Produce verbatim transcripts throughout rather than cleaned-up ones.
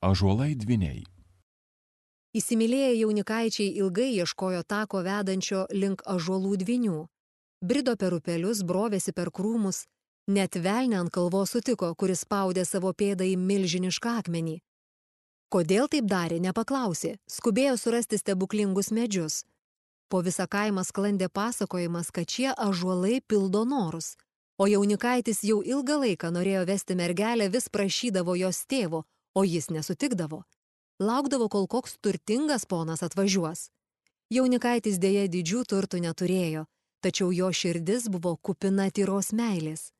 Ąžuolai dvyniai. Įsimylėję jaunikaičiai ilgai ieškojo tako vedančio link ąžuolų dvynių. Brido per upelius, brovėsi per krūmus, net velnį ant kalvos sutiko, kuris spaudė savo pėdą į milžinišką akmenį. Kodėl taip darė, nepaklausė, skubėjo surasti stebuklingus medžius. Po visą kaimą sklandė pasakojimas, kad šie ąžuolai pildo norus, o jaunikaitis jau ilgą laiką norėjo vesti mergelę, vis prašydavo jos tėvo, o jis nesutikdavo. Laukdavo, kol koks turtingas ponas atvažiuos. Jaunikaitis dėja didžių turtų neturėjo, tačiau jo širdis buvo kupina tyros meilės.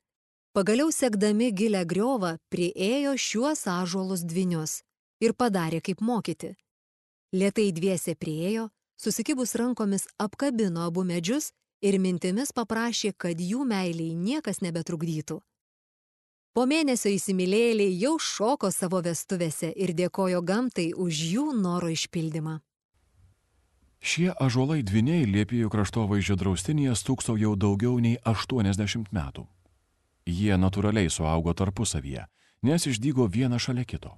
Pagaliau sekdami gilę griovą priėjo šiuos ąžuolus dvynius ir padarė kaip mokyti. Lėtai dviese priėjo, susikibus rankomis apkabino abu medžius ir mintimis paprašė, kad jų meiliai niekas nebetrukdytų. Po mėnesio įsimylėjėliai jau šoko savo vestuvėse ir dėkojo gamtai už jų noro išpildymą. Šie ąžuolai dvyniai Liepėjų kraštovaizdžio draustinyje stūkso jau daugiau nei aštuoniasdešimt metų. Jie natūraliai suaugo tarpusavyje, nes išdygo vieną šalia kito.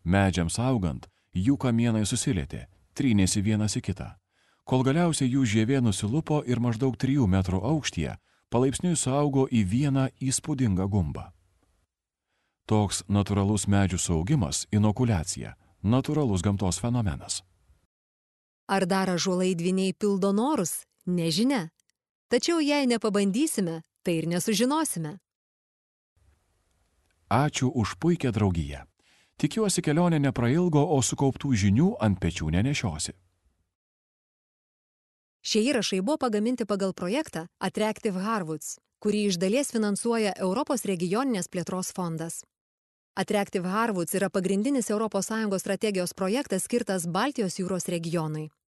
Medžiams augant, jų kamienai susilietė, trynėsi vienas į kitą, kol galiausiai jų žievė nusilupo ir maždaug trijų metrų aukštyje palaipsniui suaugo į vieną įspūdingą gumbą. Toks natūralus medžių suaugimas – inokuliacija, natūralus gamtos fenomenas. Ar dar ąžuolai dvyniai pildo norus? Nežinia. Tačiau jei nepabandysime, tai ir nesužinosime. Ačiū už puikią draugiją. Tikiuosi, kelionė neprailgo, o sukauptų žinių ant pečių nenešiosi. Šie įrašai buvo pagaminti pagal projektą Attractive Harwoods, kurį iš dalies finansuoja Europos regioninės plėtros fondas. Attractive Harwoods yra pagrindinis Europos Sąjungos strategijos projektas skirtas Baltijos jūros regionui.